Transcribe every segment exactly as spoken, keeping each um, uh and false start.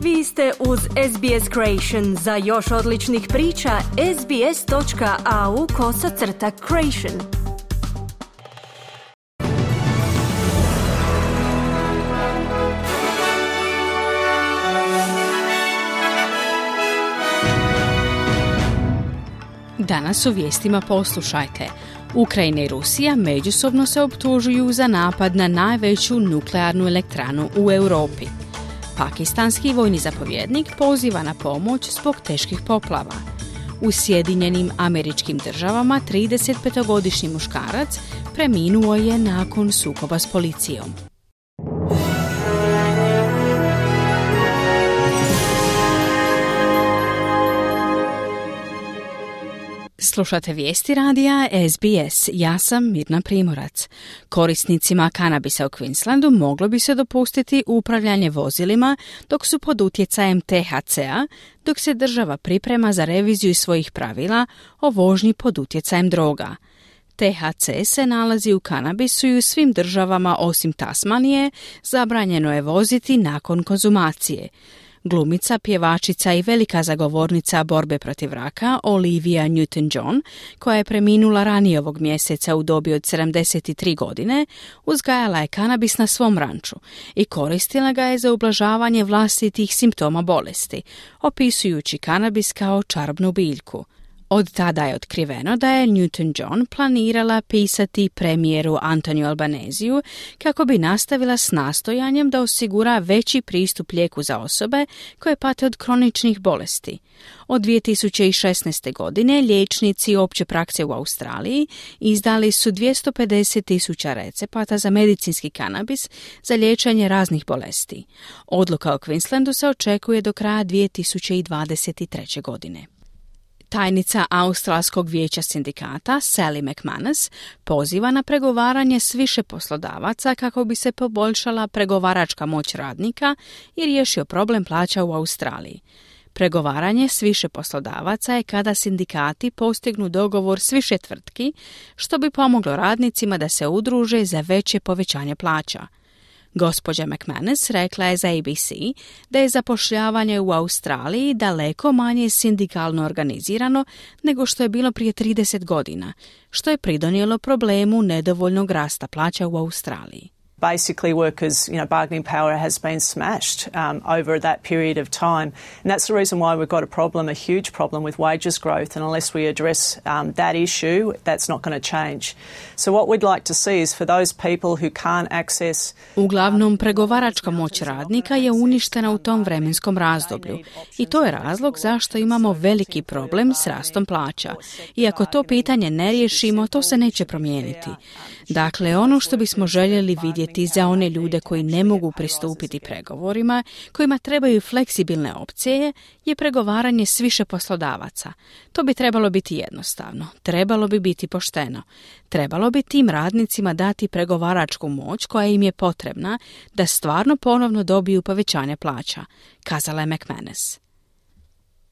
Vi ste uz S B S Creation. Za još odličnih priča, sbs.au kosacrta creation. Danas u vijestima poslušajte. Ukrajina i Rusija međusobno se optužuju za napad na najveću nuklearnu elektranu u Europi. Pakistanski vojni zapovjednik poziva na pomoć zbog teških poplava. U Sjedinjenim Američkim Državama tridesetpetogodišnji muškarac preminuo je nakon sukoba s policijom. Slušate vijesti radija S B S. Ja sam Mirna Primorac. Korisnicima kanabisa u Queenslandu moglo bi se dopustiti upravljanje vozilima dok su pod utjecajem T H C-a, dok se država priprema za reviziju svojih pravila o vožnji pod utjecajem droga. T H C se nalazi u kanabisu i u svim državama osim Tasmanije zabranjeno je voziti nakon konzumacije. Glumica, pjevačica i velika zagovornica borbe protiv raka Olivia Newton-John, koja je preminula ranije ovog mjeseca u dobi od sedamdeset tri godine, uzgajala je kanabis na svom ranču i koristila ga je za ublažavanje vlastitih simptoma bolesti, opisujući kanabis kao čarobnu biljku. Od tada je otkriveno da je Newton-John planirala pisati premijeru Antoniju Albaneziju kako bi nastavila s nastojanjem da osigura veći pristup lijeku za osobe koje pate od kroničnih bolesti. Od dvije tisuće šesnaeste. godine liječnici opće prakse u Australiji izdali su dvjesto pedeset tisuća recepata za medicinski kanabis za liječenje raznih bolesti. Odluka o Queenslandu se očekuje do kraja dvije tisuće dvadeset treće. godine. Tajnica Australskog vijeća sindikata Sally McManus poziva na pregovaranje s više poslodavaca kako bi se poboljšala pregovaračka moć radnika i riješio problem plaća u Australiji. Pregovaranje s više poslodavaca je kada sindikati postignu dogovor s više tvrtki, što bi pomoglo radnicima da se udruže za veće povećanje plaća. Gospođa McManus rekla je za A B C da je zapošljavanje u Australiji daleko manje sindikalno organizirano nego što je bilo prije trideset godina, što je pridonijelo problemu nedovoljnog rasta plaća u Australiji. Basically, workers, you know, bargaining power has been smashed um, over that period of time. And that's the reason why we've got a problem, a huge problem with wages growth. And unless we address um, that issue, that's not going to change. So what we'd like to see is for those people who can't access... Uglavnom, pregovaračka moć radnika je uništena u tom vremenskom razdoblju. I to je razlog zašto imamo veliki problem s rastom plaća. I ako to pitanje ne riješimo, to se neće promijeniti. Dakle, ono što bismo željeli vidjeti za one ljude koji ne mogu pristupiti pregovorima, kojima trebaju fleksibilne opcije, je pregovaranje s više poslodavaca. To bi trebalo biti jednostavno, trebalo bi biti pošteno. Trebalo bi tim radnicima dati pregovaračku moć koja im je potrebna da stvarno ponovno dobiju povećanje plaća, kazala je McManus.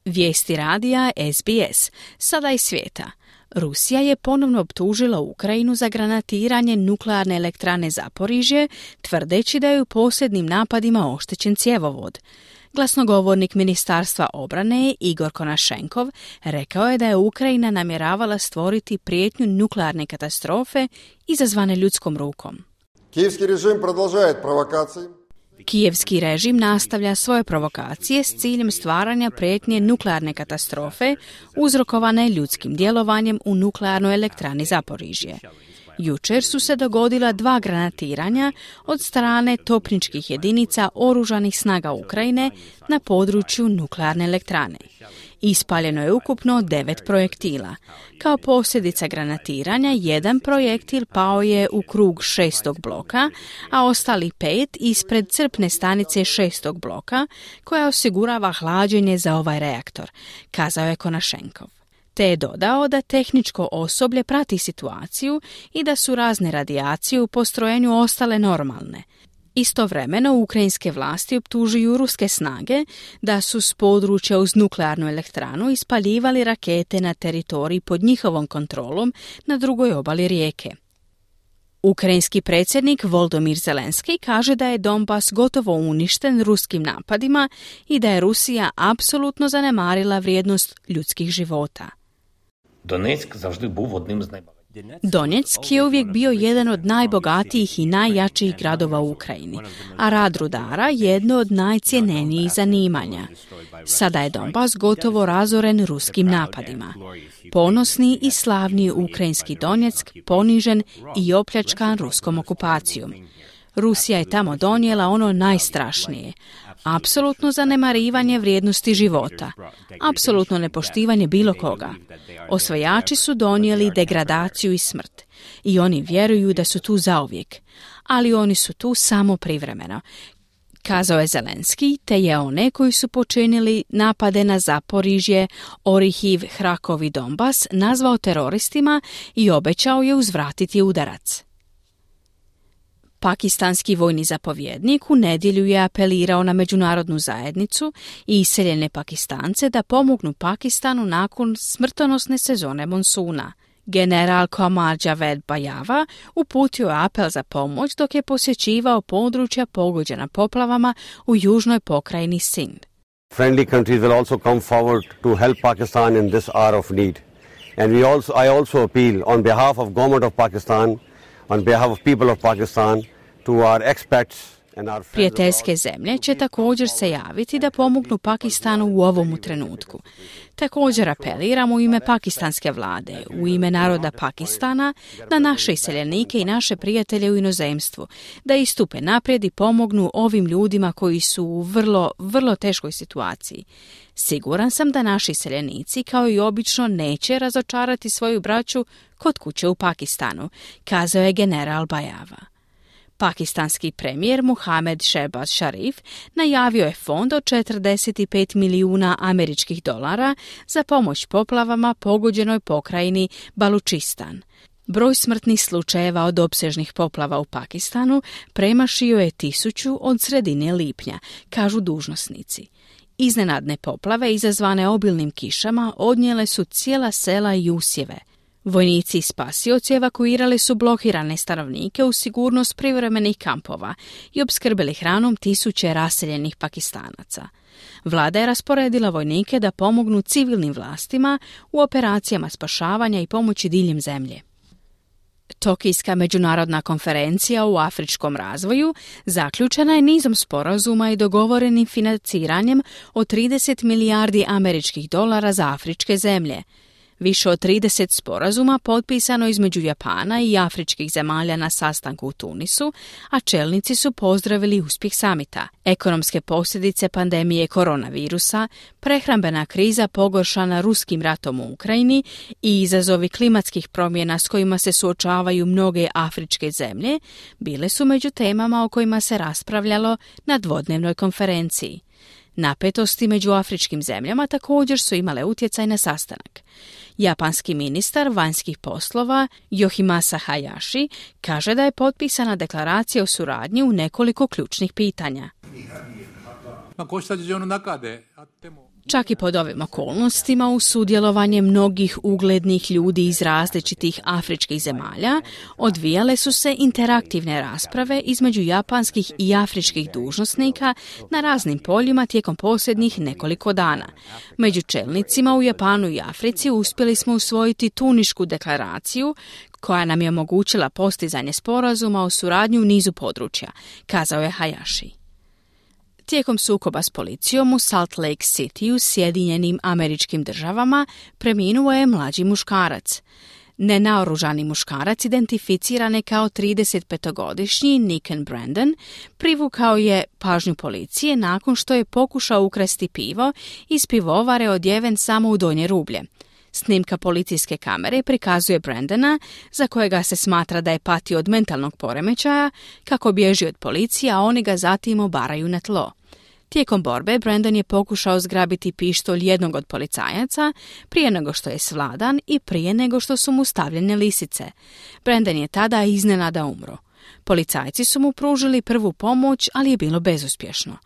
Vijesti radija S B S, sada iz svijeta. Rusija je ponovno optužila Ukrajinu za granatiranje nuklearne elektrane Zaporižje, tvrdeći da je u posljednjim napadima oštećen cjevovod. Glasnogovornik Ministarstva obrane Igor Konašenkov rekao je da je Ukrajina namjeravala stvoriti prijetnju nuklearne katastrofe izazvane ljudskom rukom. Kijevski režim продолжает провокации. Kijevski režim nastavlja svoje provokacije s ciljem stvaranja prijetnje nuklearne katastrofe uzrokovane ljudskim djelovanjem u nuklearnoj elektrani Zaporižje. Jučer su se dogodila dva granatiranja od strane topničkih jedinica oružanih snaga Ukrajine na području nuklearne elektrane. Ispaljeno je ukupno devet projektila. Kao posljedica granatiranja, jedan projektil pao je u krug šestog bloka, a ostali pet ispred crpne stanice šestog bloka, koja osigurava hlađenje za ovaj reaktor, kazao je Konašenkov. Te je dodao da tehničko osoblje prati situaciju i da su razne radijacije u postrojenju ostale normalne. Istovremeno, ukrajinske vlasti optužuju ruske snage da su s područja uz nuklearnu elektranu ispaljivali rakete na teritoriji pod njihovom kontrolom na drugoj obali rijeke. Ukrajinski predsjednik Volodymyr Zelenski kaže da je Donbas gotovo uništen ruskim napadima i da je Rusija apsolutno zanemarila vrijednost ljudskih života. Donetsk завжди був одним з найбагатших. Donjeck je uvijek bio jedan od najbogatijih i najjačih gradova u Ukrajini, a rad rudara jedno od najcjenenijih zanimanja. Sada je Donbas gotovo razoren ruskim napadima. Ponosni i slavni ukrajinski Donjeck ponižen i opljačkan ruskom okupacijom. Rusija je tamo donijela ono najstrašnije. Apsolutno zanemarivanje vrijednosti života. Apsolutno nepoštivanje bilo koga. Osvajači su donijeli degradaciju i smrt. I oni vjeruju da su tu zauvijek. Ali oni su tu samo privremeno. Kazao je Zelenski, te je one koji su počinili napade na Zaporižje, Orihiv, Hrakov i Donbas nazvao teroristima i obećao je uzvratiti udarac. Pakistanski vojni zapovjednik u nedjelju je apelirao na međunarodnu zajednicu i iseljene Pakistance da pomognu Pakistanu nakon smrtonosne sezone monsuna. General Qamar Javed Bajava uputio je apel za pomoć dok je posjećivao područja pogođena poplavama u južnoj pokrajini Sindh. Friendly countries will also come forward to help Pakistan in this hour of need. And we also, I also appeal on behalf of government of Pakistan, on behalf of people of Pakistan, to our expats and our friends. Prijateljske zemlje će također se javiti da pomognu Pakistanu u ovom trenutku. Također apeliramo u ime pakistanske vlade, u ime naroda Pakistana, na naše iseljenike i naše prijatelje u inozemstvu, da istupe naprijed i pomognu ovim ljudima koji su u vrlo, vrlo teškoj situaciji. Siguran sam da naši iseljenici, kao i obično, neće razočarati svoju braću kod kuće u Pakistanu, kazao je general Bajava. Pakistanski premijer Muhammad Shehbaz Sharif najavio je fond od četrdeset pet milijuna američkih dolara za pomoć poplavama pogođenoj pokrajini Balučistan. Broj smrtnih slučajeva od opsežnih poplava u Pakistanu premašio je tisuću od sredine lipnja, kažu dužnosnici. Iznenadne poplave izazvane obilnim kišama odnijele su cijela sela i usjeve. Vojnici i spasioci evakuirali su blokirane stanovnike u sigurnost privremenih kampova i opskrbili hranom tisuće raseljenih Pakistanaca. Vlada je rasporedila vojnike da pomognu civilnim vlastima u operacijama spašavanja i pomoći diljem zemlje. Tokijska međunarodna konferencija u afričkom razvoju zaključena je nizom sporazuma i dogovorenim financiranjem od trideset milijardi američkih dolara za afričke zemlje. Više od trideset sporazuma potpisano između Japana i afričkih zemalja na sastanku u Tunisu, a čelnici su pozdravili uspjeh samita. Ekonomske posljedice pandemije koronavirusa, prehrambena kriza pogoršana ruskim ratom u Ukrajini i izazovi klimatskih promjena s kojima se suočavaju mnoge afričke zemlje bile su među temama o kojima se raspravljalo na dvodnevnoj konferenciji. Napetosti među afričkim zemljama također su imale utjecaj na sastanak. Japanski ministar vanjskih poslova Yoshimasa Hayashi kaže da je potpisana deklaracija o suradnji u nekoliko ključnih pitanja. Čak i pod ovim okolnostima, uz sudjelovanje mnogih uglednih ljudi iz različitih afričkih zemalja, odvijale su se interaktivne rasprave između japanskih i afričkih dužnosnika na raznim poljima tijekom posljednjih nekoliko dana. Među čelnicima u Japanu i Africi uspjeli smo usvojiti Tunišku deklaraciju koja nam je omogućila postizanje sporazuma o suradnji u nizu područja, kazao je Hayashi. Tijekom sukoba s policijom u Salt Lake City u Sjedinjenim Američkim Državama preminuo je mlađi muškarac. Nenaoružani muškarac identificiran je kao tridesetpetogodišnji Niken Brandon privukao je pažnju policije nakon što je pokušao ukrasti pivo iz pivovare odjeven samo u donje rublje. Snimka policijske kamere prikazuje Brandona, za kojega se smatra da je patio od mentalnog poremećaja, kako bježi od policije, a oni ga zatim obaraju na tlo. Tijekom borbe Brandon je pokušao zgrabiti pištolj jednog od policajaca prije nego što je svladan i prije nego što su mu stavljene lisice. Brandon je tada iznenada umro. Policajci su mu pružili prvu pomoć, ali je bilo bezuspješno.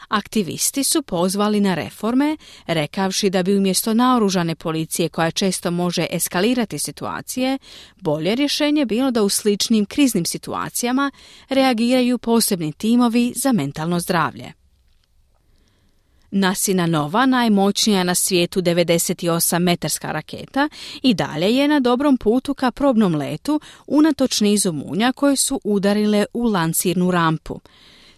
Aktivisti su pozvali na reforme, rekavši da bi umjesto naoružane policije koja često može eskalirati situacije, bolje rješenje bilo da u sličnim kriznim situacijama reagiraju posebni timovi za mentalno zdravlje. Nasina Nova, najmoćnija na svijetu devedeset osam metarska raketa, i dalje je na dobrom putu ka probnom letu unatoč nizu munja koje su udarile u lancirnu rampu.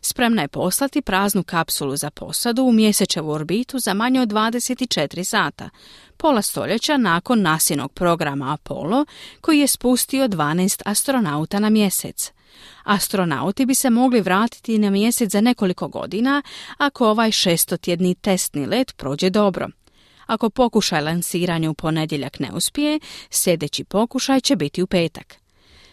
Spremna je poslati praznu kapsulu za posadu u mjesečevu orbitu za manje od dvadeset četiri sata, pola stoljeća nakon NASInog programa Apollo, koji je spustio dvanaest astronauta na mjesec. Astronauti bi se mogli vratiti na mjesec za nekoliko godina ako ovaj šestotjedni testni let prođe dobro. Ako pokušaj lansiranja u ponedjeljak ne uspije, sljedeći pokušaj će biti u petak.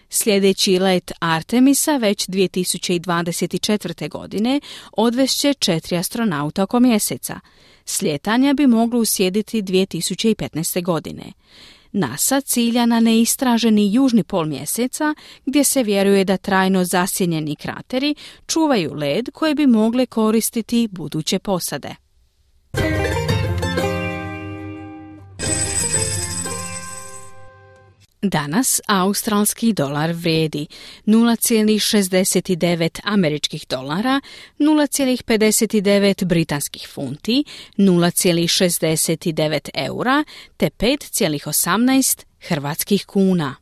Sljedeći let Artemisa već dvije tisuće dvadeset četvrte. godine odvešće četiri astronauta oko mjeseca. Slijetanja bi moglo uslijediti dvije tisuće petnaeste. godine. NASA cilja na neistraženi južni pol mjeseca, gdje se vjeruje da trajno zasjenjeni krateri čuvaju led koje bi mogle koristiti buduće posade. Danas australski dolar vrijedi nula zarez šezdeset devet američkih dolara, nula zarez pedeset devet britanskih funti, nula zarez šezdeset devet eura te pet zarez osamnaest hrvatskih kuna.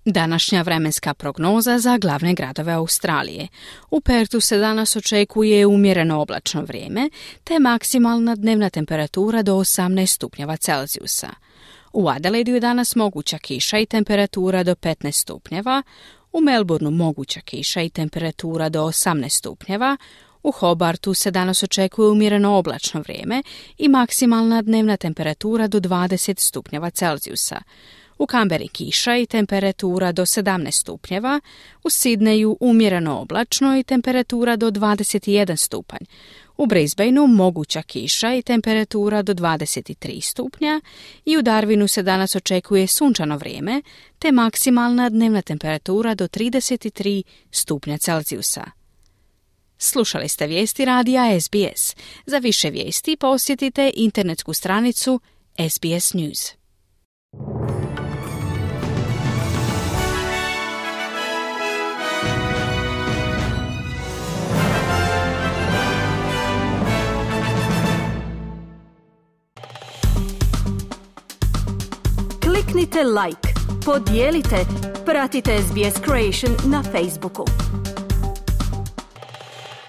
Današnja vremenska prognoza za glavne gradove Australije. U Pertu se danas očekuje umjereno oblačno vrijeme, te maksimalna dnevna temperatura do osamnaest stupnjeva Celzijusa. U Adelaidu je danas moguća kiša i temperatura do petnaest stupnjeva, u Melbourneu moguća kiša i temperatura do osamnaest stupnjeva, u Hobartu se danas očekuje umjereno oblačno vrijeme i maksimalna dnevna temperatura do dvadeset stupnjeva Celzijusa. U Kamberi kiša i temperatura do sedamnaest stupnjeva, u Sidneju umjereno oblačno i temperatura do dvadeset jedan stupanj. U Brisbaneu moguća kiša i temperatura do dvadeset tri stupnja i u Darwinu se danas očekuje sunčano vrijeme te maksimalna dnevna temperatura do trideset tri stupnja Celzijusa. Slušali ste vijesti radija S B S. Za više vijesti posjetite internetsku stranicu S B S News. Kliknite like, podijelite, pratite S B S Creation na Facebooku.